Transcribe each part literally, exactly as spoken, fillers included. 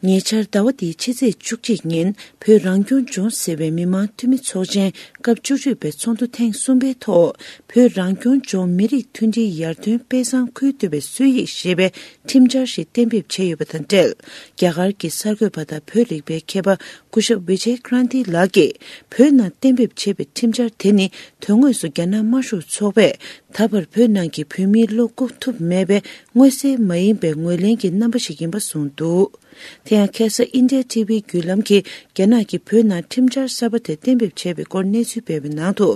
ཉེ་ཆར་ཟླ་བ་འདིའི་ཕྱི་ཚེས་བཅུ་གཅིག་ཉིན་བོད་རང་སྐྱོང་ལྗོངས་ཟེར་བའི་མི་མང་འཐུས་མི་ཚོགས་ཆེན་སྐབས་བཅུ་དྲུག་པའི་ཚོགས་འདུ་ཐེངས་གསུམ་པའི་ཐོག་བོད་རང་སྐྱོང་ལྗོངས་མི་རིགས་མཐུན་སྒྲིལ་ཡར་ཐོན་དཔེ་བཟང་ཁུལ་གཏོད་པའི་སྲོལ་ཡིག་ཞེས་པའི་ཁྲིམས་འཆར་ཞིག་གཏན་འབེབས་བྱས་ཡོད་པ་དང་འབྲེལ། རྒྱ་གར་གྱི་གསར་འགོད་པ་དང་བོད་རིག་པའི་མཁས་པ་སྐུ་ཞབས་ཝི་ཇེ་ཀྲན་ཏི་ལགས་ཀྱིས་བོད་ནང་གཏན་འབེབས་བྱས་པའི་ཁྲིམས་འཆར་དེ་ནི་དོན་དངོས་སུ་རྒྱ་ནག་དམར་ཤོག་ཚོགས་པས་ད་བར་བོད་ནང་གི་བོད་མིའི་བློ་བཀུག་ཐུབ་མེད་པའི་མངོན་གསལ་མ་ཡིན་པའི་ངོས་ལེན་གྱི་རྣམ་པ་ཞིག་ཡིན་པ་གསུངས་འདུག་དེ་ཡང་ཁ་སང་ཨིན་ཌི་ཡ་ཊི་ཝི་བརྒྱུད་ལམ་གྱིས་རྒྱ་ནག་གིས་བོད་ནང་ཁྲིམས་འཆར་གསར་པ་དེ་གཏན་འབེབས་བྱས་པའི་སྐོར་གནས་ཚུལ་སྤེལ་བའི་ནང་དུ།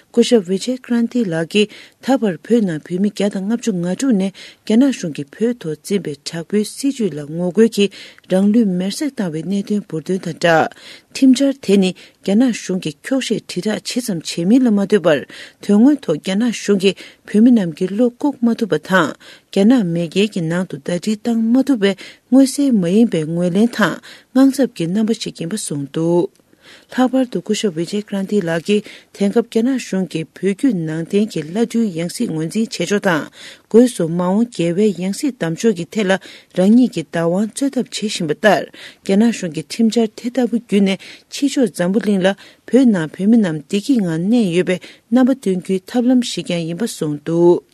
སྐུ་ཞབས་ཝི་ཇེ་ཀྲན་ཏི་ལགས་ཀྱིས་ད་བར་བོད་ནང་བོད་མི་བརྒྱ་དང་ལྔ་བཅུ་ང་དྲུག་ནས་རྒྱ་ནག་གཞུང་གིས་བོད་ཐོག་འཛིན་པའི་དྲག་པོའི་སྲིད་བྱུས་ལ་ངོ་རྒོལ་གྱིས་རང་ལུས་མེར་སྲེག་བཏང་བའི་གནད་དོན་འབུར་འདོན་དང་སྦྲགས། ཁྲིམས་འཆར་དེ་ནི་རྒྱ་ནག་གཞུང་གིས་འཁྱོག་བཤད་དྲིལ་བསྒྲགས་ཇི་ཙམ་བྱེད་མིན་ལ་མ་ལྟོས་པར། དོན་དངོས་ཐོག་རྒྱ་ནག་གཞུང་གིས་བོད་མི་རྣམས་ཀྱི་བློ་བཀུག་མ་ཐུབ་པ་དང་། རྒྱ་ནག་མེས་རྒྱལ་གྱི་ནང་དུ་ཟླ་སྒྲིལ་བཏང་མ་ཐུབ་པའི་མངོན་གསལ་མ་ཡིན་པའི་ངོས་ལེན་དང་དངངས་འཚབ་ཀྱི་རྣམ་པ་ཞིག་ཡིན་པ་གསུངས་འདུག་ལྷག་པར་དུ་སྐུ་ཞབས་ཝི་ཇེ་ཀྲན་ཏི་ལགས་ཀྱིས་དེང་སྐབས་རྒྱ་ནག་གཞུང་གིས་བོད་བརྒྱུད་ནང་བསྟན་གྱི་བླ་སྤྲུལ་ཡང་སྲིད་ངོས་འཛིན་བྱེད་ཕྱོགས་དང་། སྒོས་སུ་མ་འོངས་རྒྱལ་བའི་ཡང་སྲིད་བདམས་ཕྱོགས་ཀྱི་ཐད་ལ་རང་ཉིད་ཀྱི་བདག་དབང་རྩོད་ཐབས་བྱེད་བཞིན་པ་ལྟར། རྒྱ་ནག་གཞུང་གི་ཁྲིམས་འཆར་དེ་ལྟ་བུ་བརྒྱུད་ནས་ཕྱི་ཕྱོགས་འཛམ་བུ་གླིང་ལ་བོད་ནང་བོད་མི་རྣམས་བདེ་སྐྱིད་ངང་གནས་ཡོད་པའི་རྣམ་པ་སྟོན་རྒྱུའི་ཐབས་ལམ་ཞིག་ཀྱང་ཡིན་པ་གསུངས་འདུག་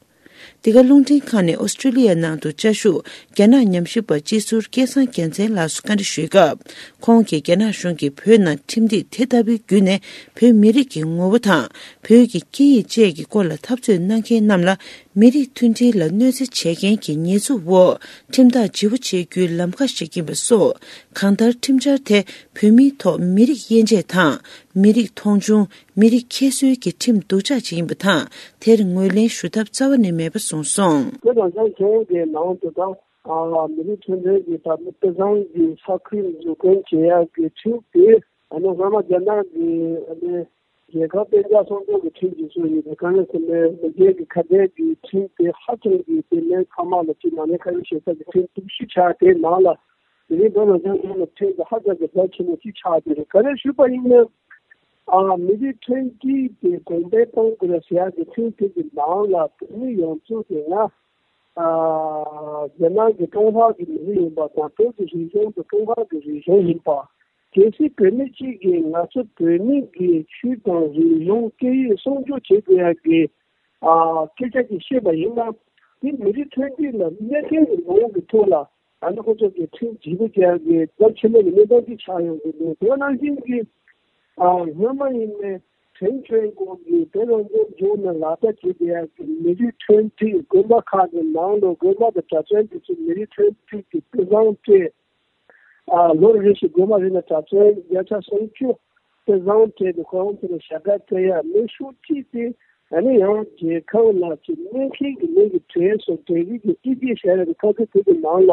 འདི་ག་རླུང་འཕྲིན་ཁང་ནས་ཨོ་སི་ཀྲི་ལི་ཡ་ནང་དུ་བཅའ་བཞུགས་རྒྱ་ནག་ཉམས་ཞིབ་པ་སྤྱི་ཟུར་སྐལ་བཟང་རྒྱལ་མཚན་ལགས་སུ་བཀའ་འདྲི་ཞུས་སྐབས། ཁོང་གིས་རྒྱ་ནག་གཞུང་གིས་བོད་ནང་ཁྲིམས་སྒྲིག་དེ་ལྟ་བུའི་བརྒྱུད་ནས་བོད་མི་རིགས་ཀྱི་ངོ་བོ་དང་བོད་ཀྱི་སྐད་ཡིག་བཅས་ཀྱི་སྐོར་ལ་འཐབ་རྩོད་གནང་མཁན་རྣམས་ལ་མི་རིགས་མཐུན་སྒྲིལ་ལ་གནོད་འཚེ་བྱེད་མཁན་གྱི་ཉེས་འཛུགས་འོག་ཁྲིམས་ཐག་ལྗིད་པོ་བཅད་རྒྱུའི་ལམ་ཁ་ཞིག་ཡིན་པ་སོགས། གང་ལྟར་ཁྲིམས་འཆར་དེ་བོད་མིའི་ཐོག་མི་རིགས་དབྱེ་འབྱེད་དང་མི་རིགས་མཐོང་ཆུང་། མི་རིགས་ཁྱད་གསོད་ཀྱི་ཁྲིམས་སྡུག་ཅག་ཅིག་ཡིན་པ་དང་། དེར་ངོས་ལེན་ཞུ་ཐབས་རྩ་བ་ནས་མེད་པ་གསུངས་སོང་། བོད་རང་སྐྱོང་ལྗོངས་ཀྱི་ནང་དུ་དང་། ཨ། མི་རིགས་མཐུན་སྒྲིལ་གྱི་ད་དཔེ་བཟང་གི་ས་ཁུལ་འཛུགས་སྐྲུན་བྱེད་ཡག་གི་ཁྲིམས་དེ། ཨ་ནི་སྔོན་མ་རྒྱ་ནག་གི་ཨ་ནི་རྒྱལ་ཁབ་གཏན་འཇགས་སྲུང་སྐྱོབ་ཀྱི་ཁྲིམས་ཀྱི་སྲོལ་ཡིན་པའི་དཀའ་ངལ་སེལ་ནས་མི་སྒེར་གྱི་ཁ་བྲལ་གྱི་ཁྲིམས་དེ་ཧ་ཅང་གི་དེ་ནས་ཚང་མ་ལ་ཅིག་ནང་ནས་ཁ་ཡོད་ཞེ་ས་ཀྱི་ཁྲིམས་གཏུག་ཤུལ་ཆགས་དེ་ནང་ལ། དེ་རིང་བོད་རང་སྐྱོང་ལྗོངས་ལ་ཁྲིམས་དེ་ཧ་ཅང་གི་རྒྱ་ཆེན་པོ་ཅིག་ཆགས་ཀྱི་རེད། ག་རེ་ཞུས་པ་ཡིན་ན། ཨ། མི་རིགས་མཐུན་སྒྲིལ་དེ་གོང་འཕེལ་གཏོང་དགོས་ཟེར་ཡག་གི་ཁྲིམས་དེ་གི་ནང་ལ་བོད་མི་ཡོངས་རྫོགས་དེ་སྔ། ཨ། རྒྱ་ནག་གི་ཀྲུང་ཧྭ་གི་མི་རིགས་ཡིན་པ་དང་བོད་ཀྱི་རིག་གཞུང་དེ་ཀྲུང་ཧྭ་གི་རིག་གཞུང་ཡིན་པ། གལ་སྲིད་བོད་མི་གཅིག་གིས་ང་ཚོ་བོད་མི་གི་ཆོས་དང་རིག་གཞུང་སྐད་ཡིག་སྲུང་སྐྱོབ་བྱེད་དགོས་ཡག་གི། ཨ། སྐད་ཆ་ཅིག་བཤད་པ་ཡིན་ན། དེ་མི་རིགས་མཐུན་སྒྲིལ་ལ་གནོད་སྐྱོན་གྱི་ངོ་བོ་གི་ཐོག་ལ། ཨ་ནི་ཁོ་ཚོ་གི་ཁྲིམས་ལྗིད་པོ་རྒྱག་གི་རྒྱ་ཆེན་པོ་གི་གནས་སྟངས་ཅིག་ཆགས་ཡོང་གི་འདུག་དེ་ནང་བཞིན་གྱི། ཨ། སྔོན་མ་ཡིན་ནའི་བྲན་བྱོལ་སྐོར་གྱི་བོད་རང་སྐྱོང་ལྗོངས་ནས་ལག་བསྟར་བྱེད་བསྡད་ཡག་གི་མི་རིགས་མཐུན་སྒྲིལ། དགོན་པ་ཁག་གི་ནང་ལ་དགོན་པ་དང་གྲྭ་བཙུན་དེ་ཚོ་མི་རིགས་མཐུན་སྒྲིལ་གྱི་དཔེ་བཟང་སྤྲད། ཨ། ལོ་རེ་བཞིན་དགོན་པ་རེ་ནས་གྲྭ་བཙུན་བརྒྱ་ཆ་སུམ་ཅུ་དེ་བཟང་སྤྲད་དེ་ཁོ་རང་ཚོ་ལ་ཞབས་བཀྲ་སྟེར་ཡ། མི་ཤོག་ཁྲིད་དེ་ཨ་ནི་ཡང་རྒྱལ་ཁབ་ལ་ཅིག་གནོད་མཁན་གྱི་མི་གི་གྲས་སུ་གྲས་རིགས་ཀྱི་སྤྲི་རྒྱས་བྱ་ཡ་གི་ཐབས་ཇུས་དེ་གི་ནང་ལ་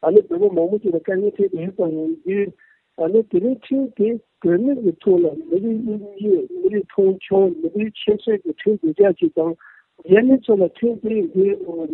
ཨ་ནི་བོད་པ་མང་པོ་ཅིག་ལ་དཀའ་ངལ་འཕྲད་དེ་ཡོད་པ་ཡིན་དུས། ཨ་ནི་དེ་རིང་ཁྲིམས་དེ་བོད་མི་གི་ཐོག་ལ་མི་རིགས་དབྱེ་འབྱེད། མི་རིགས་མཐོང་ཆུང་། མི་རིགས་ཁྱད་གསོད་ཀྱི་ཁྲིམས་སྡུག་ཅག་ཅིག་དང་། རྒྱ་མི་ཚོ་ལ་ཁྲིམས་དེ་འདི་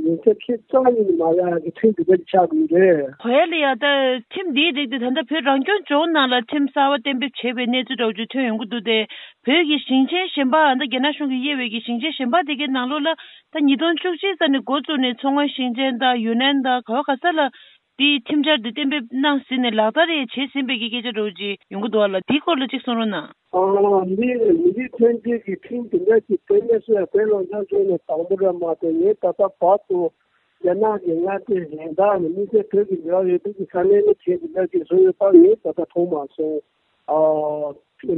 ཉེན་ཚབས་ཁྱད་རྩ་ནས་མ་ཡོང་ཡག་གི་ཁྲིམས་དེ་འདྲ་ཆགས་ཀྱི་ཡོད་རེད། ཧོ་ཡ་ལི་ཡ། ད་ཁྲིམས་འདིའི་རིགས་དེ་ད་ལྟ་བོད་རང་སྐྱོང་ལྗོངས་ནང་ལ་ཁྲིམས་གསར་བ་གཏན་འབེབས་བྱས་པའི་གནས་ཚུལ་འདྲ་བོ་ཅིག་ཐོན་ཡོང་གི་འདུག་སྟེ། བོད་ཀྱི་ཞིང་ཆེན་གཞན་པ། ད་རྒྱ་ནག་གཞུང་གིས་དབྱེ་བའི་གི་ཞིང་ཆེན་གཞན་པ་དེ་གའི་ནང་ལོགས་ལ་ད་ཉིས་སྟོང་བཅུ་གཅིག་ཙམ་ནས་འགོ་བཙུགས་ནས་མཚོ་སྔོན་ཞིང་ཆེན་དང་ཡུན་ནན་དང་ག་བ་ག་ས་ལ། དེའི་ཁྲིམས་འཆར་དེ་གཏན་འབེབས་གནང་ཟིན་ནས་ལག་བསྟར་ཡང་བྱས་ཟིན་པའི་གི་སྐད་ཆ་འདྲ་བོ་ཅིག་ཡོང་གི་འདུག་བ་ལ། དེའི་སྐོར་ལ་ཅིག་གསུང་རོགས་གནང་། ཨ། འདི་མི་རིགས་མཐུན་སྒྲིལ་གྱི་ཁྲིམས་དེ་འདྲ་ཞིག་གཏན་འབེབས་སུ་ཡང་བོད་རང་སྐྱོང་ལྗོངས་ནས་དང་པོ་རེད་མ་གཏོགས། ངས་ད་ལྟ་བར་དུ་རྒྱ་ནག་གི་མངའ་སྡེ་གཞན་དག་ནས་དམིགས་བསལ་བོད་ཀྱི་འབྲེལ་བ་ཡོད་པའི་གི་ས་གནས་ནས་ཁྲིམས་དེ་འདྲ་ཞིག་བཟོས་ཡོད་པ་ངས་ད་ལྟ་མཐོང་མ་སོང་། ཨ།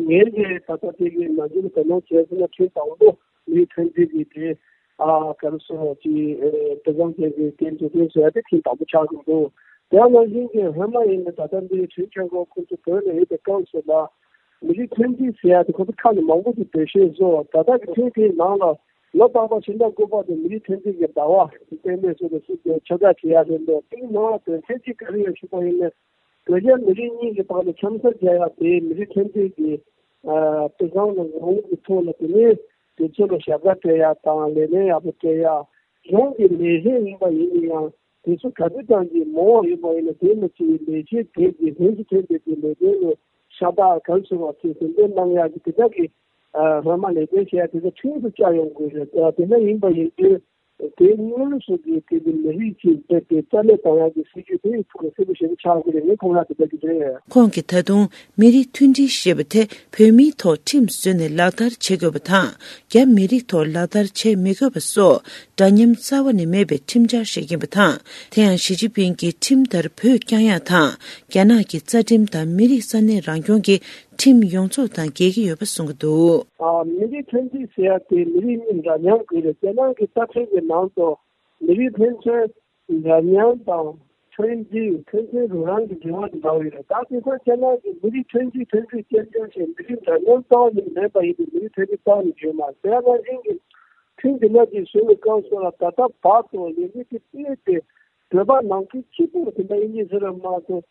ངས་ཀྱི་ད་ལྟ་དེ་གི་ནང་ཆེན་གྱི་དོ་སྣང་བྱས་ཟིན་ན་ཁྲིམས་དང་པོ་མི་མཐུན་སྒྲིལ་གྱི་དེ། ཨ། ག་རེ་ཟེར་བ་ཅིག་ཨེ། དེ་ཙམ་ཅན་གྱི་དེ་འཛུགས་སྐྲུན་བཟོ་ཡ་དེ་ཁྲིམས་དང་པོ་ཆགས་ཀྱི་འདུག་དེ་ནང་བཞིན་གྱི་སྔོན་མ་ཡིན་ན་ད་ལྟ་འདི་ཁྲིམས་ཆེན་པོ་ཁོང་ཚོ་བོད་ལ་ཡོད་པའི་སྐབས་སུ་ལ་མི་རིགས་མཐུན་སྒྲིལ་ཟེར་ཡ་དེ་ཁོང་ཚོ་ཁ་ནས་མང་པོ་ཅིག་འབོད་ཤོད་བཟོ། ད་ལྟ་གི་ཁྲིམས་དེའི་ནང་ལ་ལོ་རྟག་པར་ཕྱི་ཟླ་དགུ་པ་དེ་མི་རིགས་མཐུན་སྒྲིལ་གྱི་ཟླ་བ་དེ་གཏན་འབེབས་བཟོས་ཏེ་སྲིད་དོན་ཁྱབ་བསྒྲགས་བྱེད་ཡ་རེད་འདུག་དེའི་ནང་ལ་དོན་ཚན་གཅིག་ག་རེ་ཡོད་ཞུས་པ་ཡིན་ན། བོད་རྒྱ་མི་རིགས་གཉིས་ཀྱི་བར་ལ་འཆམ་ས་རྒྱག་ཡ་དེ་མི་རིགས་མཐུན་སྒྲིལ་གྱི་ཨ། དཔེ་བཟང་ལ་ངོ་བོ་གི་ཐོག་ལ། དེ་ནས་དེ་ཚོ་ལ་ཞབས་བཀའ་སྤྲད་ཡ་དང་ལས་ལན་ཡག་པོ་སྤྲད་ཡ། གཞུང་གི་ལས་བྱེད་ཡིན་པ་ཡིན་ན་ཡང་དེ་ཚོ་ག་དུས་ཙམ་གྱི་མང་བ་ཡོད་པ་ཡིན་ན་དེ་ལ་ཅིག་ལས་བྱེད་དེ་གི་ལྷན་ཚོགས་ཐེངས་དེ་གི་ལས་དོན་ལ་ཤ་སྟག་ག་རེ་ཟེར་བ་ཅིག་ཟུར་འདོན་གནང་ཡ་གི་དེ་འདྲ་གི་ཨ། སྔོན་མ་ལས་དོན་བྱེད་ཡ་དེ་ཚོ་ཁྲིམས་སུ་བཅའ་ཡོང་དགོས་རེད། ཨ། དེ་འདྲ་ཡིན་པ་ཡིན་དུས། དེ་སྔོན་སོགས་ཀྱི་དེ་གི་མི་རིགས་ཀྱི་དེ་དེ་རྩ་མེད་བཏང་ཡག་གི་སྲིད་ཇུས་དེ་ཕུགས་ལ་གསལ་པོ་ཞེ་པོ་ཆགས་དགོས་རེད། ངས་ཁོང་ལ་དེ་འདྲ་གི་རེད། ཁོང་གིས་ད་དུང་མི་རིགས་མཐུན་སྒྲིལ་ཞེས་པ་དེ་བོད་མིའི་ཐོག་ཁྲིམས་བཟོས་ནས་ལག་བསྟར་བྱེད་དགོས་པ་དང་། རྒྱ་མི་རིགས་ཐོག་ལག་བསྟར་བྱེད་མི་དགོས་པ་སོགས་འདྲ་མཉམ་རྩ་བ་ནས་མེད་པའི་ཁྲིམས་འཆར་བཞག་གིན་པ་དང་། དེ་ཡང་ཞི་ཅིན་ཕིང་གིས་ཁྲིམས་ལྟར་བོད་བསྐྱང་ཡག་དང་། རྒྱ་ནག་གི་རྩ་ཁྲིམས་དང་མི་རིགས་ས་གནས་རང་སྐྱོང་གི་ཁྲིམས་ཡོངས་རྫོགས་དང་འགལ་གྱི་ཡོད་པ་གསུང་གི་འདུག། ཨ། མི་རིགས་མཐུན་སྒྲིལ་ཟེར་ཡག་དེ་མི་རིགས་གཉིས་འདྲ་མཉམ་དགོས་རེད། རྒྱ་ནག་གི་རྩ་ཁྲིམས་ཀྱི་ནང་དུ་མི་རིགས་ཕན་ཚུན་འདྲ་མཉམ་དང་ཕན་ཚུན་ཕན་ཚུན་རོགས་རམ་གྱི་འབྲེལ་བ་དེ་འདྲ་བོ་ཡོད་རེད། ད་དེང་སང་རྒྱ་ནག་གི་མི་རིགས་མཐུན་སྒྲིལ་མཐུན་སྒྲིལ་བཅོས་སྐྱོང་བྱས། མི་རིགས་འདྲ་མཉམ་རྩ་བ་ནས་མེད་པ་ཡིན་དུས་མི་རིགས་མཐུན་སྒྲིལ་རྩ་བ་ནས་ཡོད་མ་རེད། དེ་ནང་བཞིན་གྱི་ཁྲིམས་འདི་ལ་གཅིག་བཟོས་པའི་སྐབས་སུ་ལ་ད་ལྟ་བར་དུ་ལས་འགུལ་དེ་སྤེལ་ཏེ། བོད་པ་ནང་ཁུལ་གཅིག་པུར་དེ་འདྲ་ཡིན་གྱི་ཟེར་བ་མ་གཏོགས།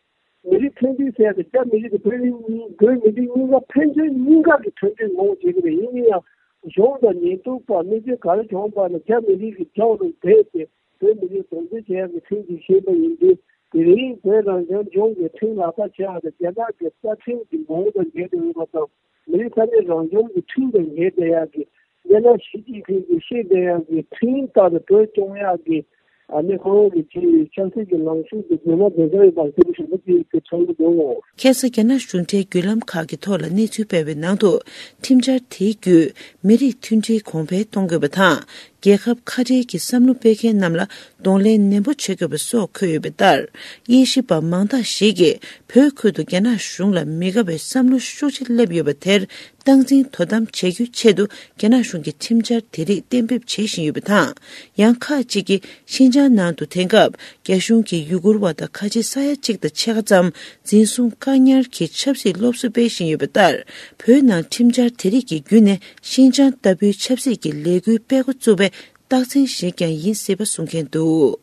མི་རིགས་མཐུན་སྒྲིལ་ཟེར་ཏེ་རྒྱ་མི་རིགས་དང་བོད་རིགས་གཉིས། བོད་མི་རིགས་གཉིས་ཀ་ཕན་ཚུན་གཉིས་ཀ་གི་མཐུན་སྒྲིལ་ངོ་བོ་བྱེད་ཀྱི་རེད། ཡིན་ན་ཡང་གཞུང་དང་ཉེན་རྟོག་པ་གནོད་སྐྱོན་ག་རེ་བྱུང་བ་ན་རྒྱ་མི་རིགས་ཀྱི་རྒྱབ་ལ་བསྡད་དེ་བོད་མི་རིགས་གདུང་འཛིན་བྱེད་ཡག་གི་ཁྲིམས་ཀྱི་བཤད་པ་ཡིན་དུས། དེ་རིང་བོད་རང་སྐྱོང་ལྗོངས་ཀྱི་ཁྲིམས་ལག་བསྟར་བྱེད་ཡག་དང་རྒྱ་ནག་གི་རྩ་ཁྲིམས་ཀྱི་ངོ་བོ་དང་འགལ་འགྲོ་ཡོད་པ་དང་། མི་རིགས་ས་གནས་རང་སྐྱོང་གི་ཁྲིམས་དང་འགལ་བསྡད་ཡག་གི། རྒྱ་ནག་ཞི་ཅིན་ཕིང་གིས་བཤད་བསྡད་ཡག་གི་ཁྲིམས་ལྟར་བོད་སྐྱོང་ཡག་གི། ཨ་ནི་ཁོ་རང་གི་ཆེས་ཆབ་སྲིད་ཀྱི་ལངས་ཕྱོགས་དེ་རྫུན་མ་རྫུན་བཟོ་ཡིན་པ་གསལ་པོ་ཞེ་པོ་ཅིག་གི་ཚོར་གྱི་འདུག། ཁ་སང་རྒྱ་ནག་གཞུང་འབྲེལ་བརྒྱུད་ལམ་ཁག་གི་ཐོག་ལ་གནས་ཚུལ་སྤེལ་བའི་ནང་དུ། ཁྲིམས་འཆར་དེའི་བརྒྱུད་མི་རིགས་མཐུན་སྒྲིལ་གོང་འཕེལ་གཏོང་དགོས་པ་དང་། རྒྱལ་ཁབ་ཁ་བྲལ་གྱི་བསམ་བློ་སྤེལ་མཁན་རྣམས་ལ་གདོང་ལེན་ནན་པོ་བྱེད་དགོས་པ་སོགས་འཁོད་ཡོད་པ་ལྟར། དབྱེ་ཞིབ་པ་མང་དག་ཞིག་གིས་བོད་ཁུལ་དུ་རྒྱ་ནག་གཞུང་ལ་མི་དགའ་བའི་བསམ་བློ་ཤུགས་ཆེ་སླེབས་ཡོད་པ་དེར་སྟངས་འཛིན་དོ་དམ་བྱེད་རྒྱུའི་ཆེད་དུ་རྒྱ་ནག་གཞུང་གིས་ཁྲིམས་འཆར་དེ་རིགས་གཏན་འབེབས་བྱེད་བཞིན་ཡོད་པ་དང་། ཡང་ཁག་ཅིག་གིས་ཤིན་ཅང་ནང་དུ་དེང་སྐབས་རྒྱ་གཞུང་གིས་ཡུ་གུར་བ་དང་ཁ་ཆེ་ས་ཡ་གཅིག་དང་ཕྱེད་ཀ་ཙམ་འཛིན་བཟུང་བཀག་ཉར་གྱིས་ཆབ་སྲིད་སློབ་གསོ་སྤེལ་བཞིན་ཡོད་པ་ལྟར། བོད་ནང་ཁྲིམས་འཆར་དེ་རིགས་ཀྱི་བརྒྱུད་ནས་ཤིན་ཅང་ལྟ་བུའི་ཆབ་སྲིད་ཀྱི་ལས་འགུལ་སྤེལ་འགོ་བཙུགས་པའི་རྟགས་མཚན་ཞིག་ཀྱང་ཡིན་སྲིད་པ་གསུང་མཁན་འདུག།